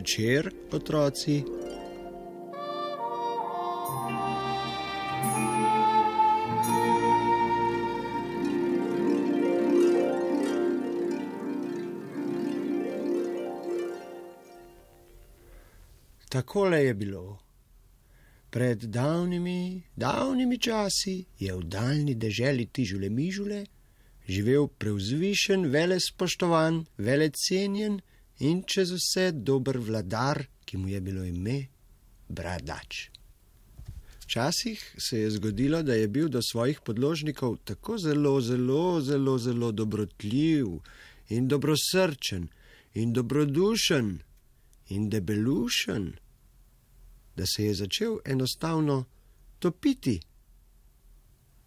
večer, otroci. Takole je bilo. Pred davnimi časi je v daljni deželi Tižule Mižule živel prevzvišen, velespoštovan, velecenjen in čez vse dober vladar, ki mu je bilo ime Bradač. Včasih se je zgodilo, da je bil do svojih podložnikov tako zelo dobrotljiv in dobrosrčen in dobrodušen in debelušen, da se je začel enostavno topiti,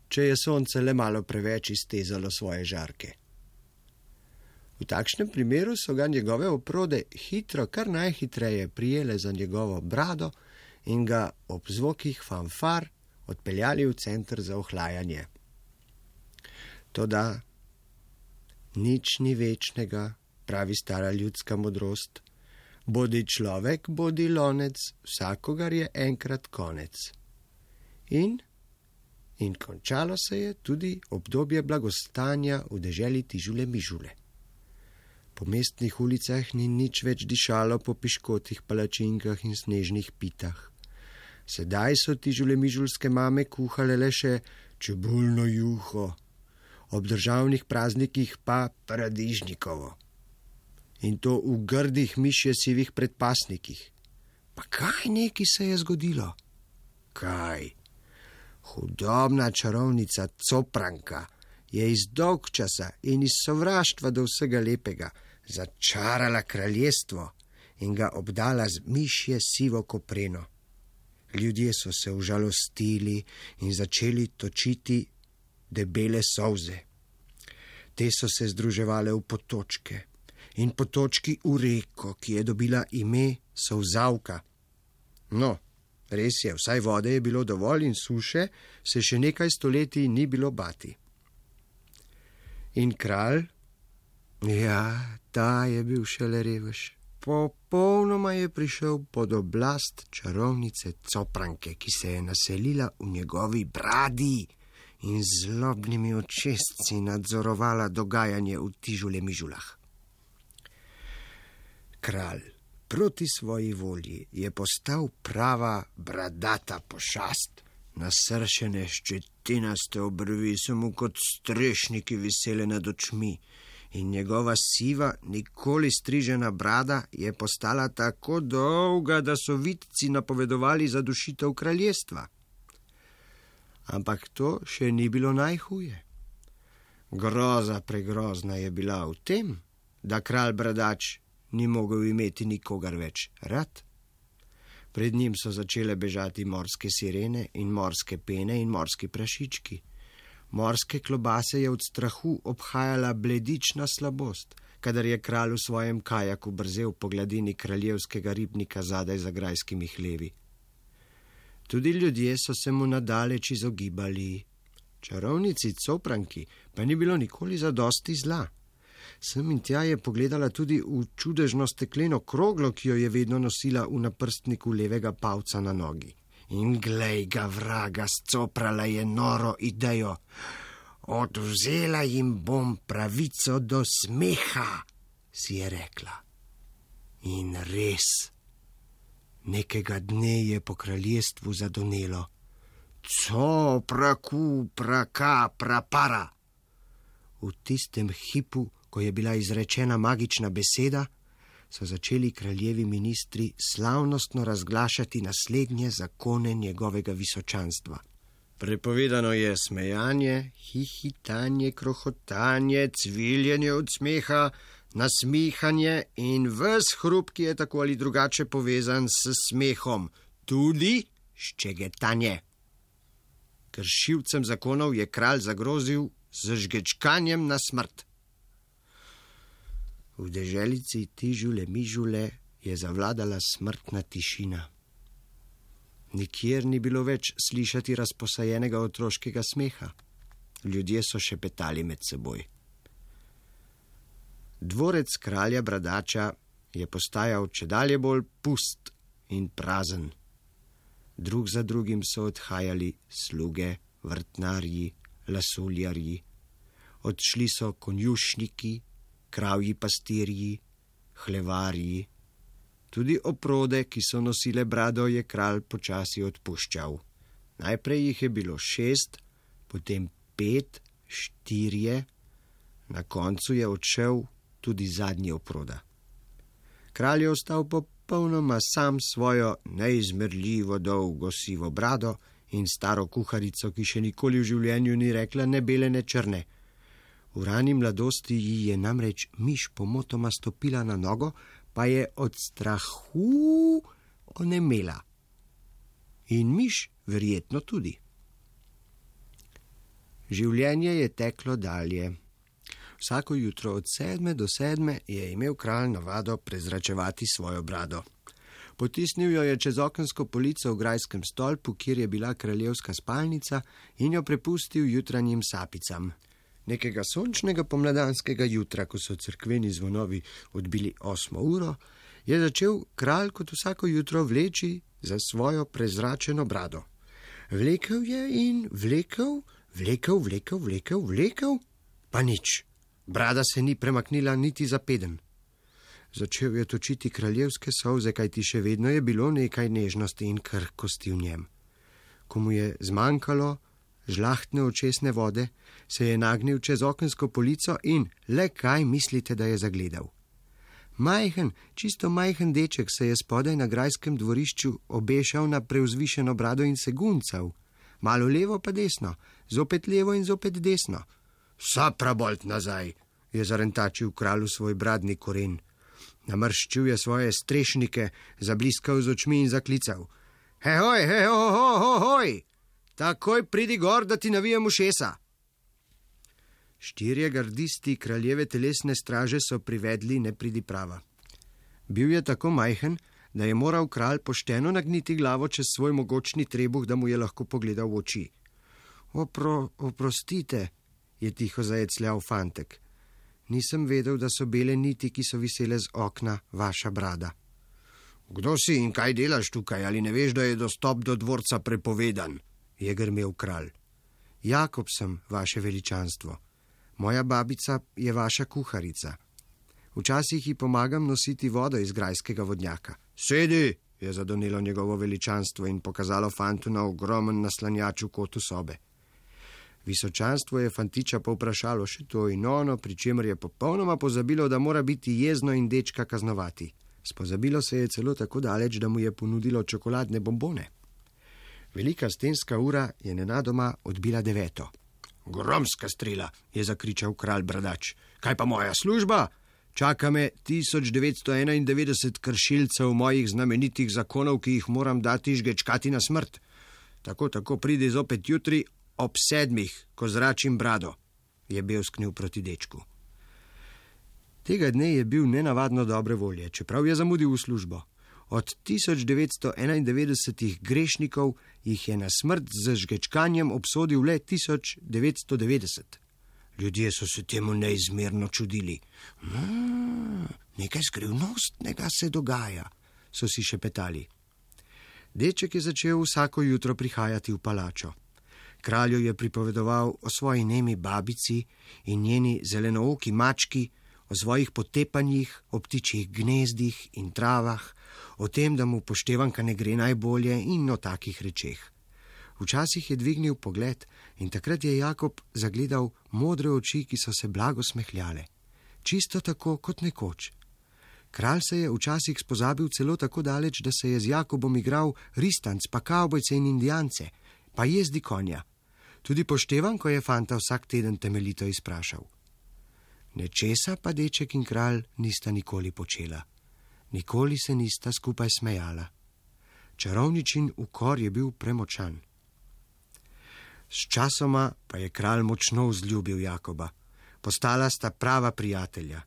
če je sonce le malo preveč iztezalo svoje žarke. V takšnem primeru so ga njegove oprode hitro, kar najhitreje prijele za njegovo brado in ga ob zvokih fanfar odpeljali v center za ohlajanje. Toda nič ni večnega, pravi stara ljudska modrost. Bodi človek, bodi lonec, vsakogar je enkrat konec. In končalo se je tudi obdobje blagostanja v deželi Tižule Mižule. Po mestnih ulicah ni nič več dišalo po piškotih palačinkah in snežnih pitah. Sedaj so Tižule Mižulske mame kuhale le še čebulno juho, ob državnih praznikih pa paradižnikovo. In to v grdih mišje sivih predpasnikih. Pa kaj neki se je zgodilo? Kaj? Hudobna čarovnica Copranka je iz dolgčasa in iz sovraštva do vsega lepega začarala kraljestvo in ga obdala z mišje sivo kopreno. Ljudje so se užalostili in začeli točiti debele solze. Te so se združevale v potočke in potočki v reko, ki je dobila ime Solzavka. No, res je, vsaj vode je bilo dovolj in suše se še nekaj stoletij ni bilo bati. In kralj? Ja, ta je bil šele revež. Popolnoma je prišel pod oblast čarovnice Copranke, ki se je naselila v njegovi bradi in z zlobnimi očesci nadzorovala dogajanje v Tižule Mižulah. Kralj proti svoji volji je postal prava bradata pošast. Nasršene ščetinaste obrvi so mu kot strešniki visele nad očmi in njegova siva, nikoli strižena brada je postala tako dolga, da so vidci napovedovali zadušitev kraljestva. Ampak to še ni bilo najhuje. Groza pregrozna je bila v tem, da kralj Bradač ni mogel imeti nikogar več rad. Pred njim so začele bežati morske sirene in morske pene in morski prašički. Morske klobase je od strahu obhajala bledična slabost, kadar je kralj v svojem kajaku brzel po gladini kraljevskega ribnika zadaj za grajskimi hlevi. Tudi ljudje so se mu nadaleč izogibali. Čarovnici Copranki pa ni bilo nikoli zadosti zla. Sem in tja je pogledala tudi v čudežno stekleno kroglo, ki jo je vedno nosila v naprstniku levega palca na nogi. In glej ga vraga, scoprala je noro idejo. Odvzela jim bom pravico do smeha, si je rekla. In res, nekega dne je po kraljestvu zadonelo. Copraku, praka, prapara. V tistem hipu, ko je bila izrečena magična beseda, so začeli kraljevi ministri slavnostno razglašati naslednje zakone njegovega visočanstva. Prepovedano je smejanje, hihitanje, krohotanje, cviljenje od smeha, nasmihanje in ves hrup, ki je tako ali drugače povezan s smehom, tudi ščegetanje. Kršilcem zakonov je kralj zagrozil z žgečkanjem na smrt. V deželici Tižule Mižule je zavladala smrtna tišina. Nikjer ni bilo več slišati razposajenega otroškega smeha. Ljudje so šepetali med seboj. Dvorec kralja Bradača je postajal čedalje bolj pust in prazen. Drug za drugim so odhajali sluge, vrtnarji, lasuljarji. Odšli so konjušniki, kravji pastirji, hlevarji. Tudi oprode, ki so nosile brado, je kralj počasi odpuščal. Najprej jih je bilo 6, potem 5, 4, na koncu je odšel tudi zadnji oproda. Kralj je ostal popolnoma sam svojo neizmerljivo dolgo sivo brado in staro kuharico, ki še nikoli v življenju ni rekla ne bele ne črne. V rani mladosti ji je namreč miš pomotoma stopila na nogo, pa je od strahu onemela. In miš verjetno tudi. Življenje je teklo dalje. Vsako jutro od 7 do 7 je imel kralj navado prezračevati svojo brado. Potisnil jo je čez okensko polico v grajskem stolpu, kjer je bila kraljevska spalnica, in jo prepustil jutranjim sapicam. Nekega sončnega pomladanskega jutra, ko so cerkveni zvonovi odbili 8 uro, je začel kralj kot vsako jutro vleči za svojo prezračeno brado. Vlekel je in vlekel, pa nič. Brada se ni premaknila niti za peden. Začel je točiti kraljevske solze, kajti še vedno je bilo nekaj nežnosti in krhkosti v njem. Ko mu je zmanjkalo žlahtne očesne vode, se je nagnil čez okensko polico in le kaj mislite, da je zagledal? Čisto majhen deček se je spodaj na grajskem dvorišču obešal na prevzvišeno brado in se guncal. Malo levo pa desno, zopet levo in zopet desno. Saprabolt nazaj, je zarentačil kralj svoj bradni koren. Namrščil je svoje strešnike, zabliskal z očmi in zaklical. Hoj, takoj pridi gor, da ti navijem ušesa. 4 gardisti kraljeve telesne straže so privedli nepridiprava. Bil je tako majhen, da je moral kralj pošteno nagniti glavo čez svoj mogočni trebuh, da mu je lahko pogledal v oči. Oprostite, je tiho zajecljal fantek. Nisem vedel, da so bele niti, ki so visele z okna, vaša brada. Kdo si in kaj delaš tukaj, ali ne veš, da je dostop do dvorca prepovedan, je grmel kralj. Jakob sem, vaše veličanstvo. Moja babica je vaša kuharica. Včasih ji pomagam nositi vodo iz grajskega vodnjaka. Sedi, je zadonelo njegovo veličanstvo in pokazalo fantu na ogromen naslanjač v kotu sobe. Visočanstvo je fantiča povprašalo še to in ono, pri čemer je popolnoma pozabilo, da mora biti jezno in dečka kaznovati. Spozabilo se je celo tako daleč, da mu je ponudilo čokoladne bombone. Velika stenska ura je nenadoma odbila 9. Gromska strela, je zakričal kralj bradač. Kaj pa moja služba? Čaka me 1991 kršilcev mojih znamenitih zakonov, ki jih moram dati žgečkati na smrt. Tako pridi zopet jutri ob 7, ko zračim brado, je bevsknil proti dečku. Tega dne je bil nenavadno dobre volje, čeprav je zamudil v službo. Od 1991 grešnikov jih je na smrt z žgečkanjem obsodil le 1990. Ljudje so se temu neizmerno čudili. Nekaj skrivnostnega se dogaja, so si šepetali. Deček je začel vsako jutro prihajati v palačo. Kralju je pripovedoval o svoji nemi babici in njeni zelenooki mački, o svojih potepanjih, o ptičjih gnezdih in travah, o tem, da mu poštevanka ne gre najbolje in o takih rečeh. Včasih je dvignil pogled in takrat je Jakob zagledal modre oči, ki so se blago smehljale. Čisto tako kot nekoč. Kralj se je včasih spozabil celo tako daleč, da se je z Jakobom igral ristanc, pa kavbojce in indijance, pa jezdi konja. Tudi poštevanko je fanta vsak teden temeljito izprašal. Nečesa pa deček in kralj nista nikoli počela. Nikoli se nista skupaj smejala. Čarovničin ukor je bil premočan. Sčasoma pa je kralj močno vzljubil Jakoba. Postala sta prava prijatelja.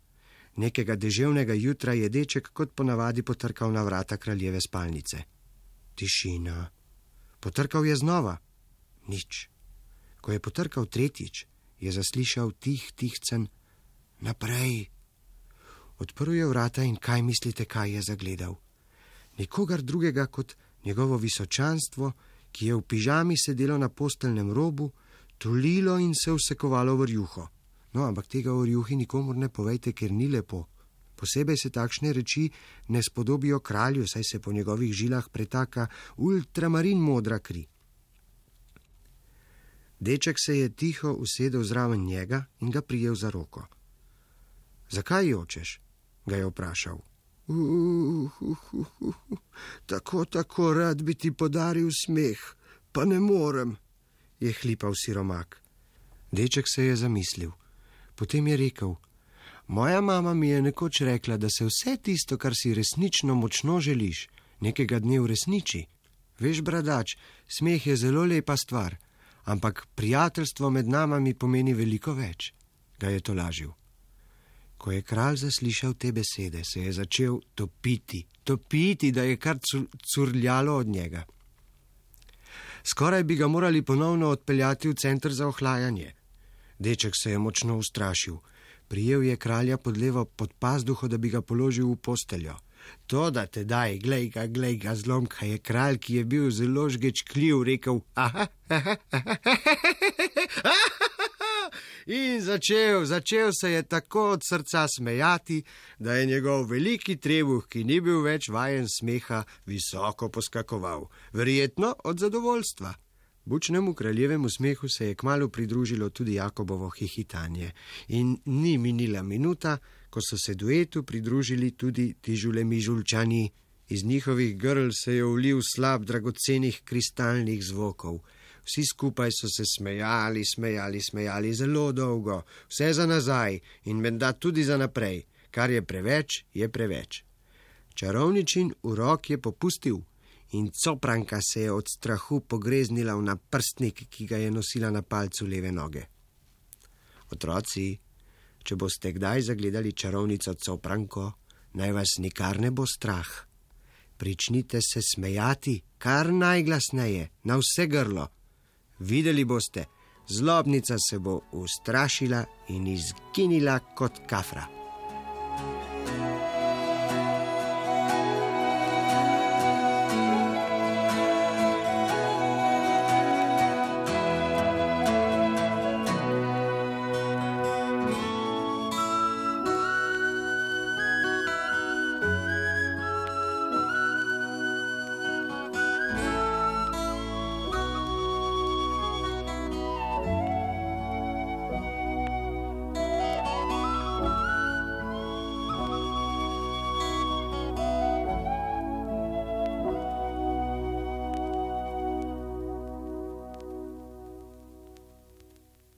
Nekega deževnega jutra je deček kot ponavadi potrkal na vrata kraljeve spalnice. Tišina. Potrkal je znova. Nič. Ko je potrkal 3, je zaslišal tihcen naprej. Odprl je vrata in kaj mislite, kaj je zagledal? Nikogar drugega kot njegovo visočanstvo, ki je v pižami sedelo na posteljnem robu, tulilo in se vsekovalo v rjuho. No, ampak tega o rjuhi nikomur ne povejte, ker ni lepo. Posebej se takšne reči ne spodobijo kralju, saj se po njegovih žilah pretaka ultramarin modra kri. Deček se je tiho usedel zraven njega in ga prijel za roko. Zakaj jočeš? Ga je vprašal. Tako rad bi ti podaril smeh, pa ne morem, je hlipal siromak. Deček se je zamislil. Potem je rekel, moja mama mi je nekoč rekla, da se vse tisto, kar si resnično močno želiš, nekega dne uresniči. Veš, bradač, smeh je zelo lepa stvar, ampak prijateljstvo med nama mi pomeni veliko več, ga je tolažil. Ko je kralj zaslišal te besede, se je začel topiti, da je kar curljalo od njega. Skoraj bi ga morali ponovno odpeljati v center za ohlajanje. Deček se je močno ustrašil. Prijel je kralja pod levo pod pazduho, da bi ga položil v posteljo. Toda tedaj, glej ga, zlomka, je kralj, ki je bil zelo žgečkljiv, rekel in začel se je tako od srca smejati, da je njegov veliki trebuh, ki ni bil več vajen smeha, visoko poskakoval, verjetno od zadovoljstva. Bučnemu kraljevemu smehu se je kmalu pridružilo tudi Jakobovo hihitanje in ni minila minuta, ko so se duetu pridružili tudi ti žulemižulčani. Iz njihovih grl se je ulil slab dragocenih kristalnih zvokov. Vsi skupaj so se smejali zelo dolgo, vse za nazaj in menda tudi za naprej, kar je preveč. Čarovničin urok je popustil in Copranka se je od strahu pogreznila v naprstnik, ki ga je nosila na palcu leve noge. Otroci, če boste kdaj zagledali čarovnico Copranko, naj vas nikar ne bo strah. Pričnite se smejati, kar najglasneje, na vse grlo. Videli boste, zlobnica se bo ustrašila in izginila kot kafra.